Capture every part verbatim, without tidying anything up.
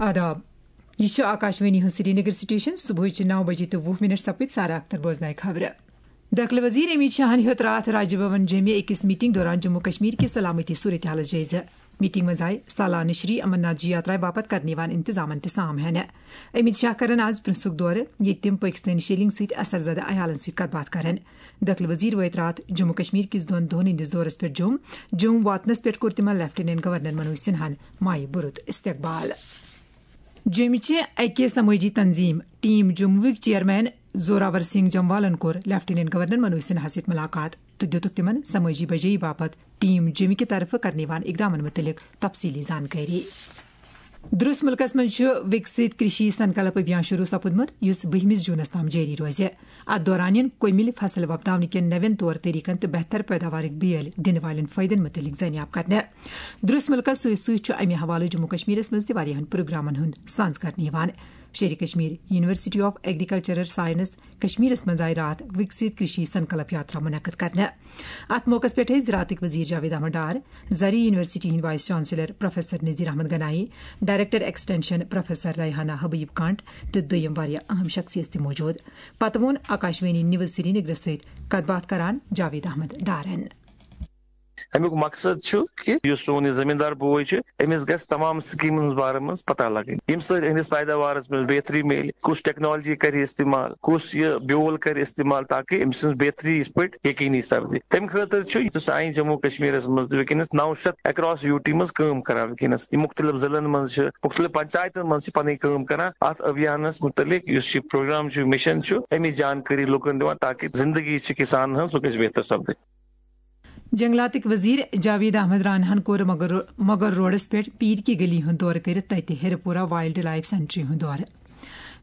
آداب۔ یہ چھُ آکاشوانی ہُنٛد سرینگر سٹیشن۔ صبحٕچہِ نو بجے تہٕ وُہ منٹ سپٕدۍ۔ سارا اختر بوزنایہِ خبرٕ۔ دٲخلہٕ وزیر امیت شاہن ہیوٚت راتھ راج بھون جوٚمہِ أکِس میٹنگ دوران جموں کشمیر کہِ سلامتی صورتحالس جٲیزٕ۔ میٹنگ منٛز آیہِ سالانہٕ شری امرناتھ جی یاترا باپتھ کرنہٕ یِوان انتظامن تہِ سام ہینہٕ۔ امیت شاہ کرن آز پرنسُک دورٕ، ییٚتہِ تِم پٲکستٲنۍ شیلنگ سۭتۍ اثر زدہ عیالن سۭتۍ کتھ باتھ کرن۔ دٲخلہٕ وزیر وٲتۍ راتھ جموں کشمیر کِس دۄن دۄہن ہٕنٛدِس دورس پٮ۪ٹھ جوٚم۔ جوٚم واتنس پٮ۪ٹھ کوٚر تِمن لیفٹیننٹ گورنر منوج سنہاہن مایہِ بُرُت استقبال۔ جوٚمہِ چہِ اَکہِ سمٲجی تنظیٖم ٹیم جموٗہٕکۍ چیئرمین زوراور سنگھ جموالن کوٚر لیفٹیننٹ گورنر منوج سنہاہَس سۭتۍ ملاقات تہٕ دِتُکھ تِمن سمٲجی بجٲیی باپتھ ٹیم جوٚمہِ کہِ طرفہٕ کرنہٕ یِوان اقدامن مُتعلق تفصیلی زانکٲری۔ درس مُلکس منٛز چھُ وِکسِت کرشی سنکلپ ابھیان شروع سپُدمُت، یُس بٔہمِس جوٗنس تام جٲری روزِ۔ اتھ دوران یِن کۄمِلۍ فصل وۄپداونہٕ کٮ۪ن نوٮ۪ن طور طریقن تہٕ بہتر پیداوارٕکۍ بیٲلۍ دِنہٕ والٮ۪ن فٲیدن مُتعلق زٲنیاب کرنہٕ۔ درس مُلکس سۭتۍ سۭتۍ چھُ امہِ حوالہٕ جموں کشمیرس منٛز تہِ واریاہن پروگرامن ہُنٛد سانز کرنہٕ یِوان۔ شیرِ Kashmir university of agricultural science کشمیرس منٛز آیہِ راتھ وِکسِت کرشی سنکلپ یاترا منعقد کرنہٕ۔ اتھ موقعس پٮ۪ٹھ ٲسۍ زراعتٕکۍ وزیر جاوید احمد ڈار، زرعی یونیورسٹی ہٕنٛدۍ vice chancellor professor Nazir Ahmad Ganai, director extension professor Rehana Habib Kanth تہٕ دوٚیم واریاہ اہم شخصیت تہِ موجود۔ پتہٕ ووٚن آکاشوانی نیوز سرینگرس سۭتۍ کتھ باتھ کران جاوید احمد ڈارن۔ امیُک مقصد چھُ کہِ یُس سون یہِ زٔمیٖندار بوے چھُ، أمِس گژھِ تمام سکیٖمن ہٕنٛز بارس منٛز پتہ لگٕنۍ، ییٚمہِ سۭتۍ أہٕنٛدِس پیداوارس منٛز بہتری میلہِ، کُس ٹیکنالوجی کرِ استعمال، کُس یہِ بیول کرِ استعمال، تاکہِ أمۍ سٕنٛز بہتری یِتھ پٲٹھۍ یقینی سپدِ۔ تمہِ خٲطرٕ چھُ یُس سانہِ جموں کشمیرس منٛز تہِ وٕنکیٚنس نو شیٚتھ ایکراس یوٗ ٹی منٛز کٲم کران۔ وٕنکیٚنس یِم مُختٔلِف ضلعن منٛز چھِ، مُختٔلِف پنچایتن منٛز چھِ پنٕنۍ کٲم کران۔ اتھ ابھیانس مُتعلق یُس یہِ پروگرام چھُ، مِشن چھُ، اَمِچ جانکٲری لُکن دِوان، تاکہِ زندگی چھِ کسانن ہٕنٛز، سُہ گژھِ بہتر سپدٕنۍ۔ جنگلاتٕکۍ وزیر جاوید احمد راناہن کوٚر مغل رو-، مغل روڈس پٮ۪ٹھ پیٖر کی گلی ہُنٛد دورٕ کٔرِتھ تتہِ ہیرپورہ وائلڈ لائف سینچری ہُنٛد دورٕ۔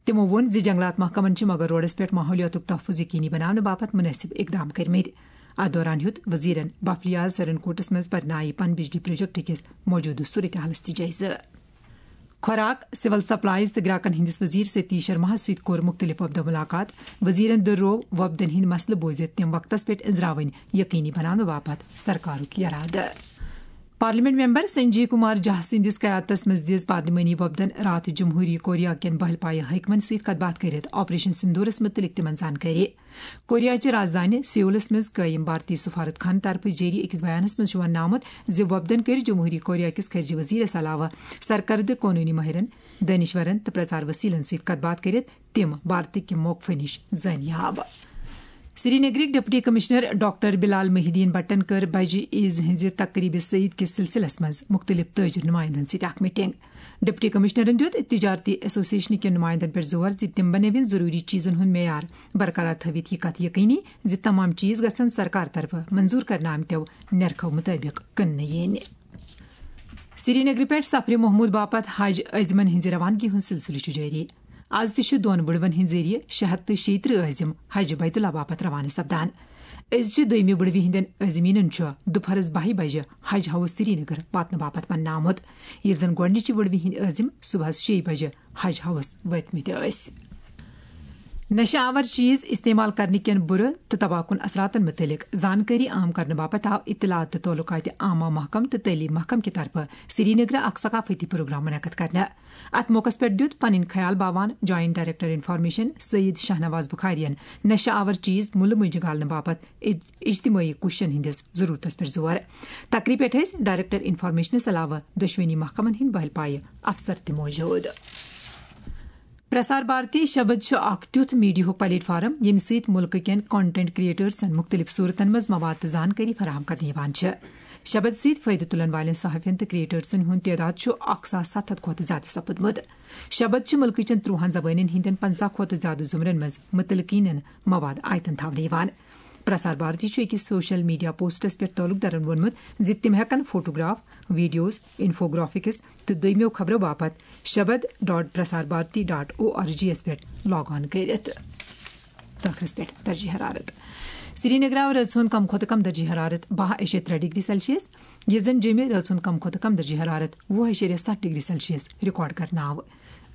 تِمو ووٚن زِ جنگلات محکمن چھِ مغل روڈس پٮ۪ٹھ ماحولیاتُک تحفظ یقینی بناونہٕ باپتھ مناسب اقدام کٔرمٕتۍ۔ اتھ دوران ہیوٚت وزیرن بفلیاز سرنکوٹس منٛز پرنائی پن بجلی پروجیکٹ کِس موجودٕ صورتحالس تہِ جٲیزٕ۔ خوراک، سول سپلائز تہٕ گراکن ہٕنٛدِس وزیر ستیش شرماہس سۭتۍ کوٚر مُختٔلِف وفدو مُلاقات۔ وزیرن دُرروو وفدن ہٕنٛدۍ مسلہٕ بوزِتھ تِم وقتس پٮ۪ٹھ أنٛزراوٕنۍ یقینی بناونہٕ باپتھ سرکارُک یرادٕ۔ پارلیمنٹ ممبر سنجے کمار جھا سٕنٛدِس قیادتس منٛز دِژ پارلیمانی وفدن راتھ جمہوری کوریا کٮ۪ن بہل پایہِ حٲکمن سۭتۍ کتھ باتھ کٔرِتھ آپریشن سندورس مُتعلق تِمن زانکٲری۔ کوریا چہِ رازدانہِ سیولس منٛز قٲیِم بھارتی سفارت خانہٕ طرفہٕ جٲری أکِس بیانس منٛز چھُ وننہٕ آمُت زِ وفدن کٔرۍ جمہوری کوریا کِس خارجہ وزیرس علاوٕ سرکردٕ قونوٗنی مٲہرن، دٲنشورن تہٕ پرچار وسیلن سۭتۍ کتھ باتھ کٔرِتھ تِم بھارتٕکہِ موقفہٕ نِش زٲنیاب۔ سرینگرٕکۍ ڈپٹی کمشنر ڈاکٹر بلال محی الدین بٹن کٔر بجہِ عیز ہٕنٛزِ تقریبہِ سعید کِس سلسلس منٛز مُختٔلِف تٲجر نُمایندن سۭتۍ اکھ میٹنگ۔ ڈپٹی کمشنرن دیُت تجارتی ایسوسیشن کٮ۪ن نمایندن پٮ۪ٹھ زور زِ تِم بنٲوِن ضروٗری چیزن ہُنٛد معیار برقرار تھٲوِتھ یہِ کتھ یقینی زِ تمام چیز گژھن سرکار طرفہٕ منظور کرنہٕ آمتیو نرخو مطٲبق کٕننہٕ یِنۍ۔ سرینگرٕ پٮ۪ٹھ سفرِ محمود باپتھ حج عازمن ہٕنٛزِ روانگی ہُنٛد سلسلہٕ چھُ جٲری۔ از تہِ چھِ دۄن وُڑوَن ہٕنٛدِ ذٔریعہٕ شےٚ ہَتھ تہٕ شیٚیہِ ترٕٛہ عٲزِم حج بیت اللہ باپتھ روانہٕ سپدان۔ أزچہِ دوٚیمہِ وُڑوِ ہٕنٛدٮ۪ن عٲزمیٖنَن چھُ دُپہرَس بَہہِ بجہِ حج ہاوُس سرینگر واتنہٕ باپتھ وننہٕ آمُت، ییٚتہِ زَن گۄڈٕنِچہِ وُڑوِ ہٕنٛدۍ عٲزِم صبحَس شیٚیہِ بجہِ حج ہاوُس وٲتمٕتۍ ٲسۍ۔ نشہٕ آور چیز استعمال کرنہٕ کٮ۪ن بُرٕ تہٕ تباہ کُن اثراتن مُتعلق زانکٲری عام کرنہٕ باپتھ آو اطلاعات تہٕ تعلقات عامہ محکمہٕ تہٕ تعلیٖم محکمہٕ کہِ طرفہٕ سرینگرٕ اکھ ثقافتی پروگرام منعقد کرنہٕ۔ اتھ موقعس پٮ۪ٹھ دیُت پنٕنۍ خیال باوان joint director information Syed Shahnawaz بخاریَن نشہٕ آور چیز مُلہٕ مٔنٛزۍ گالنہٕ باپتھ اج-، اجتمٲعی کوٗششن ہٕنٛدِس ضروٗرتس پٮ۪ٹھ زور۔ تقریبہِ پٮ۪ٹھ ٲسۍ ڈائریکٹر انفارمیشنس علاوٕ دۄشوٕنی محکمن ہٕنٛدۍ بہل پایہِ افسر تہِ موجود۔ پرسار بھارتی شبد چھُ اکھ تیُتھ میڈیاہُک پلیٹ فارم، ییٚمہِ سۭتۍ مُلکہٕ کٮ۪ن کنٹینٹ کریٹرزن مُختٔلِف صوٗرتن منٛز مواد تہٕ زانکٲری فراہم کرنہٕ یِوان چھِ۔ شبد سۭتۍ فٲیدٕ تُلن والٮ۪ن صحافین تہٕ کریٹرزن ہُنٛد تعداد چھُ اکھ ساس ستھ ہتھ کھۄتہٕ زیادٕ سپُدمُت۔ شبد چھِ مُلکہٕ چٮ۪ن ترٛوہن زبٲنٮ۪ن ہٕنٛدٮ۪ن پنٛژاہ کھۄتہٕ زیادٕ زُمرن منٛز مُتعلقیٖنن مواد آیتن تھاونہٕ یِوان۔ پرسار بھارتی چھُ أکِس سوشل میڈیا پوسٹس پٮ۪ٹھ تعلق دارن ووٚنمُت زِ تِم ہٮ۪کن فوٹوگراف، ویڈیوز، انفوگرافکس تہٕ دوٚیمٮ۪و خبرو باپتھ شبد dot Prasar Bharati dot O R G یس پٮ۪ٹھ لاگ آن کٔرِتھ۔ ٲخرس پٮ۪ٹھ درجہ حرارت۔ سرینگر آو رٲژ ہُنٛد کم کھۄتہٕ کم درجہ حرارت باہ اعشاریہ ترٛےٚ ڈگری سیلسیس، ییٚتہِ زن جیٚمہِ رٲژ ہُنٛد کم کھۄتہٕ کم درجہ حرارت وُہ اعشاریہ ستھ ڈگری سیلسیس ریکارڈ کرنہٕ آو۔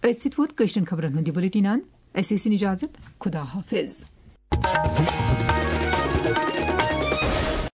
أتھۍ سۭتۍ ووت کٲشرٮ۪ن خبرن ہُنٛد یہِ بلیٹن اند۔ اَسہِ ٲسِن اجازت۔ خدا حافظ۔